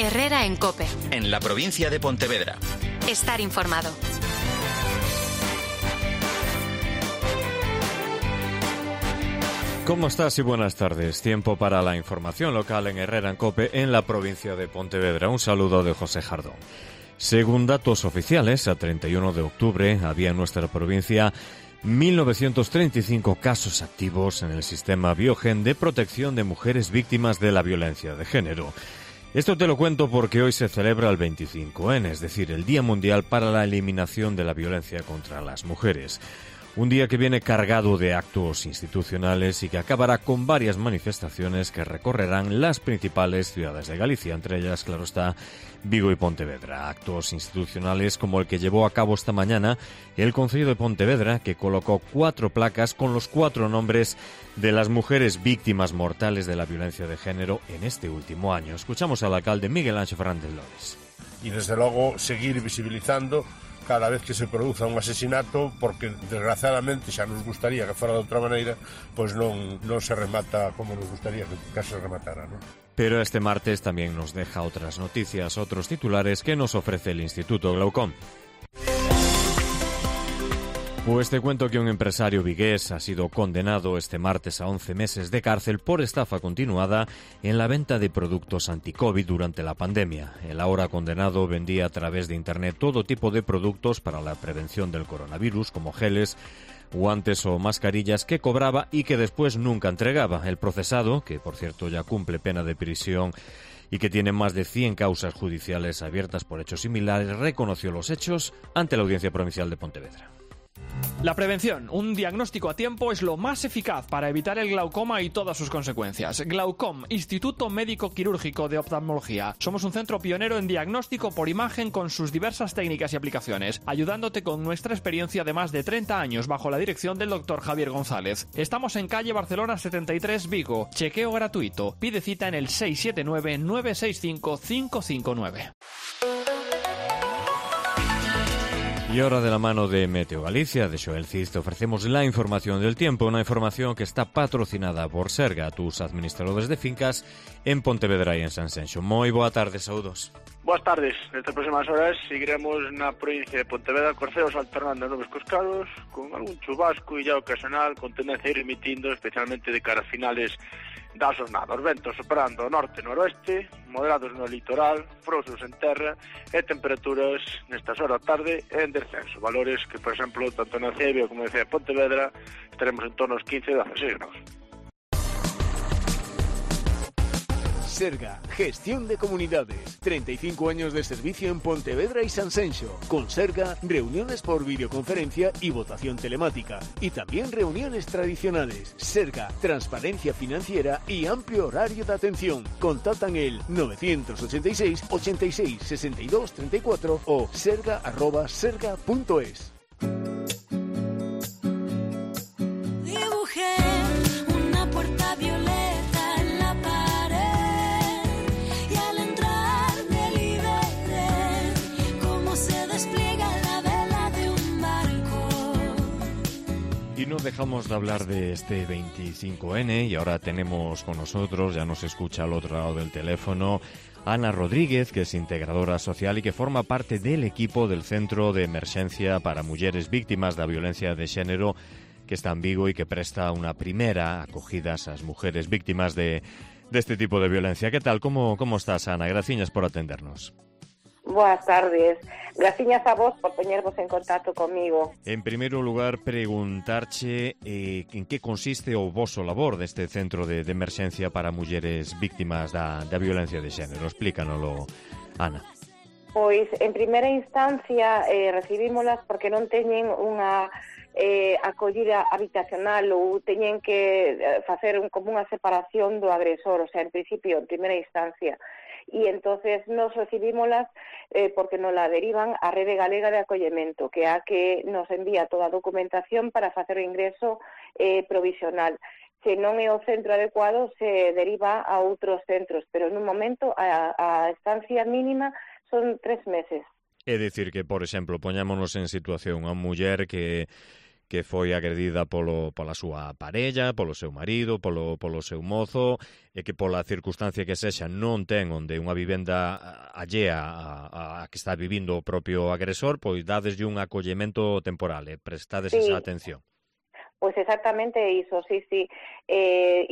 Herrera en COPE. En la provincia de Pontevedra. Estar informado. ¿Cómo estás y buenas tardes? Tiempo para la información local en Herrera en COPE en la provincia de Pontevedra. Un saludo de José Jardón. Según datos oficiales, a 31 de octubre había en nuestra provincia 1.935 casos activos en el sistema Biogen de protección de mujeres víctimas de la violencia de género. Esto te lo cuento porque hoy se celebra el 25N, es decir, el Día Mundial para la Eliminación de la Violencia contra las Mujeres. Un día que viene cargado de actos institucionales y que acabará con varias manifestaciones que recorrerán las principales ciudades de Galicia, entre ellas, claro está, Vigo y Pontevedra. Actos institucionales como el que llevó a cabo esta mañana el Concello de Pontevedra, que colocó 4 placas con los 4 nombres de las mujeres víctimas mortales de la violencia de género en este último año. Escuchamos al alcalde Miguel Anxo Fernández Lores. Y desde logo seguir visibilizando cada vez que se produza un asesinato, porque desgraciadamente xa nos gustaría que fora de outra maneira, pois non se remata como nos gustaría que se rematara, non? Pero este martes también nos deja otras noticias, otros titulares que nos ofrece el Instituto Glaucom. Pues te cuento que un empresario vigués ha sido condenado este martes a 11 meses de cárcel por estafa continuada en la venta de productos anti-COVID durante la pandemia. El ahora condenado vendía a través de Internet todo tipo de productos para la prevención del coronavirus, como geles, guantes o mascarillas que cobraba y que después nunca entregaba. El procesado, que por cierto ya cumple pena de prisión y que tiene más de 100 causas judiciales abiertas por hechos similares, reconoció los hechos ante la Audiencia Provincial de Pontevedra. La prevención, un diagnóstico a tiempo, es lo más eficaz para evitar el glaucoma y todas sus consecuencias. Glaucom, Instituto Médico Quirúrgico de Oftalmología. Somos un centro pionero en diagnóstico por imagen con sus diversas técnicas y aplicaciones, ayudándote con nuestra experiencia de más de 30 años bajo la dirección del Dr. Javier González. Estamos en calle Barcelona 73, Vigo. Chequeo gratuito. Pide cita en el 679-965-559. Y ahora, de la mano de Meteo Galicia, de Xoel Cid, te ofrecemos la información del tiempo, una información que está patrocinada por Serga, tus administradores de fincas en Pontevedra e en Sanxenxo. Moi boa tarde, saúdos. Boas tardes. Nestas próximas horas seguiremos na provincia de Pontevedra corceos alternando nubes cos claros, con algún chubasco e ya ocasional, con tendencia a ir emitindo, especialmente de cara a finales da xornada. Os ventos operando ao norte e noroeste, moderados no litoral, frouxos en terra e temperaturas nestas horas da tarde en descenso. Valores que, por exemplo, tanto na Cebio como na Pontevedra estaremos en torno aos 15 e 16 graus. Serga, gestión de comunidades, 35 años de servicio en Pontevedra y Sanxenxo. Con Serga, reuniones por videoconferencia y votación telemática. Y también reuniones tradicionales. Serga, transparencia financiera y amplio horario de atención. Contactan el 986 86 62 34 o serga@serga.es. Dibujé una puerta violeta. Y no dejamos de hablar de este 25N y ahora tenemos con nosotros, ya nos escucha al otro lado del teléfono, Ana Rodríguez, que es integradora social y que forma parte del equipo del Centro de Emerxencia para Mulleres Víctimas da Violencia de Xénero, que está en Vigo y que presta una primera acogida a esas mujeres víctimas de este tipo de violencia. ¿Qué tal? ¿Cómo estás, Ana? Graciñas por atendernos. Boas tardes. Graciñas a vos por poñervos en contacto comigo. En primeiro lugar, preguntarche en que consiste o voso labor deste Centro de Emerxencia para Mulleres Víctimas da violencia de xénero. Explícanoslo, Ana. Pois, en primeira instancia, recibímolas porque non teñen unha acollida habitacional ou teñen que facer como unha separación do agresor, o sea, en principio, en primeira instancia. Y entonces nos recibímolas porque nos la derivan a Rede Galega de Acollemento, que é a que nos envía toda a documentación para facer o ingreso provisional. Se non é o centro adecuado, se deriva a outros centros, pero en un momento a estancia mínima son 3 meses. É dicir que, por exemplo, poñámonos en situación a muller que que foi agredida pola súa parella, polo seu marido, polo seu mozo, e que pola circunstancia que sexa non ten onde unha vivenda allea a que está vivindo o propio agresor, pois dadeslle un acollemento temporal e prestades esa atención. Pois exactamente iso, sí.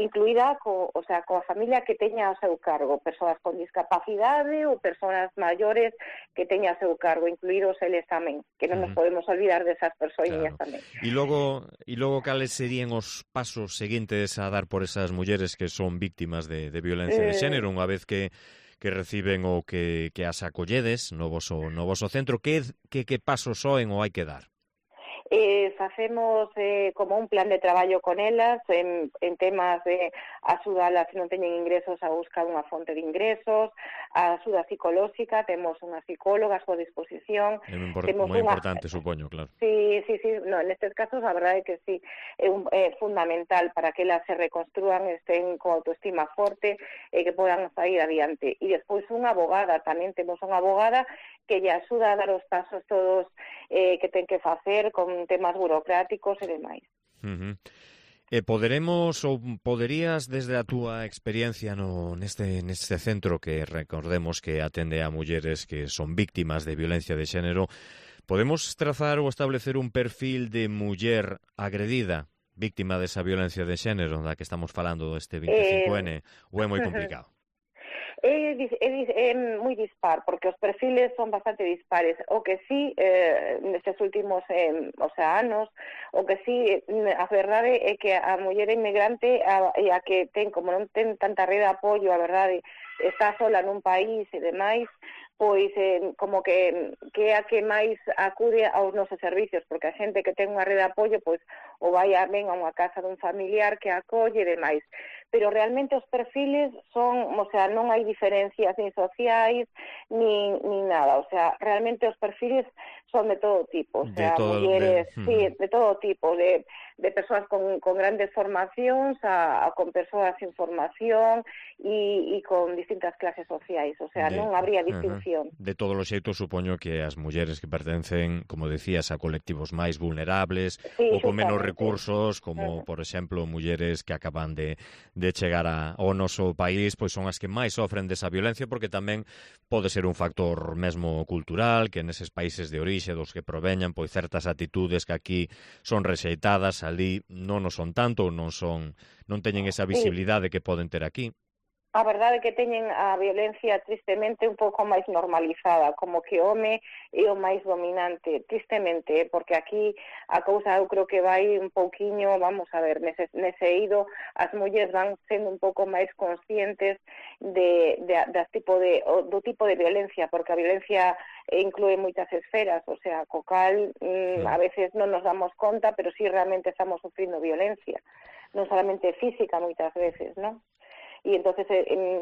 Incluída coa familia que teña ao seu cargo, persoas con discapacidade ou persoas maiores que teña ao seu cargo, incluídos eles tamén, que non nos podemos olvidar desas persoiñas tamén. E logo cales serían os pasos seguintes a dar por esas mulleres que son víctimas de violencia de xénero, unha vez que reciben ou que as acolledes no voso centro? Que pasos soen ou hai que dar? Facemos como un plan de traballo con elas en temas de axudalas se non teñen ingresos a buscar unha fonte de ingresos, a axuda psicolóxica, temos unha psicóloga a súa disposición. É moi importante, supoño, claro. Sí, nestes casos a verdade é que sí, é fundamental para que elas se reconstrúan, estén con autoestima forte e que podan sair adiante. E despois unha abogada, tamén temos unha abogada que lle axuda a dar os pasos todos que ten que facer con temas burocráticos e demais. Poderías, desde a túa experiencia neste centro que recordemos que atende a mulleres que son víctimas de violencia de xénero, podemos trazar ou establecer un perfil de muller agredida, víctima desa violencia de xénero da que estamos falando deste 25N, ou é moi complicado? É moi dispar, porque os perfiles son bastante dispares. O que sí, nestes últimos anos, o que sí, a verdade é que a muller inmigrante, a que ten, como non ten tanta rede de apoio, a verdade, está sola nun país e demais, pois como que é a que máis acude aos nosos servicios, porque a xente que ten unha rede de apoio, pois ou vai ben a unha casa dun familiar que acolle e demais. Pero realmente os perfiles son, non hai diferencias nin sociais, nin nada, realmente os perfiles son de todo tipo, mulleres, de todo tipo, de persoas con grandes formacións con persoas sin formación e con distintas clases sociais, non habría distinción. De todos os xeitos, supoño que as mulleres que pertencen, como decías, a colectivos máis vulnerables ou con menos recursos, como, por exemplo, mulleres que acaban de chegar ao noso país, pois son as que máis sofren desa violencia, porque tamén pode ser un factor mesmo cultural, que neses países de orixe dos que proveñan, pois certas actitudes que aquí son rexeitadas, ali non o son tanto, non teñen esa visibilidade que poden ter aquí. A verdade é que teñen a violencia tristemente un pouco máis normalizada, como que o home é o máis dominante, tristemente, porque aquí a cousa eu creo que vai un pouquiño, vamos a ver, nese eido as mulleres van sendo un pouco máis conscientes do tipo de violencia, porque a violencia inclúe moitas esferas, co cal a veces non nos damos conta, pero sí realmente estamos sufrindo violencia, non solamente física moitas veces, non? E entonces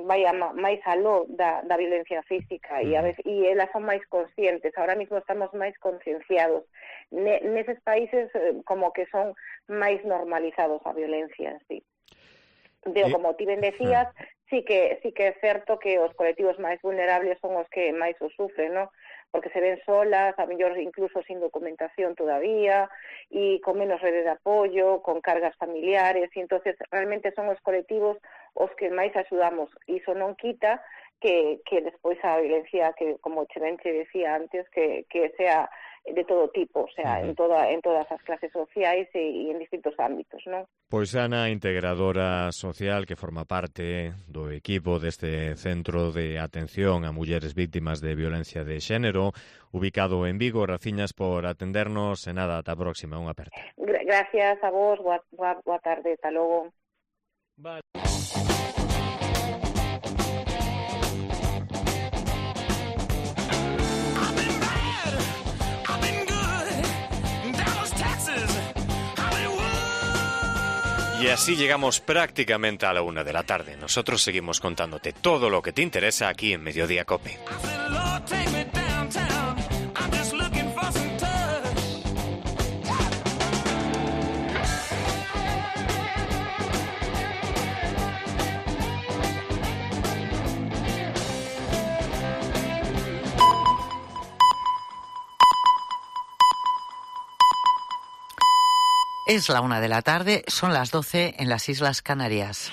vai máis aló da violencia física e elas son máis conscientes. Ahora mismo estamos máis concienciados. Neses países como que son máis normalizados a violencia, sí. Pero como ti ben decías, sí que é certo que os colectivos máis vulnerables son os que máis o sufren, ¿no? Porque se ven solas, a mellor incluso sin documentación todavía, e con menos rede de apoio, con cargas familiares, e entonces realmente son os colectivos os que máis axudamos. Iso non quita que despois a violencia, que como Chevén decía antes, que sea de todo tipo, en todas as clases sociais e en distintos ámbitos, non? Pois Ana, integradora social que forma parte do equipo deste Centro de Atención a Mulleres Víctimas de Violencia de Xénero, ubicado en Vigo. Graciñas por atendernos e nada, ata a próxima, unha aperta. Gracias a vos, boa tarde, ata logo. Vale. Y así llegamos prácticamente a la 1 de la tarde. Nosotros seguimos contándote todo lo que te interesa aquí en Mediodía COPE. Es la 1 de la tarde, son las 12 en las Islas Canarias.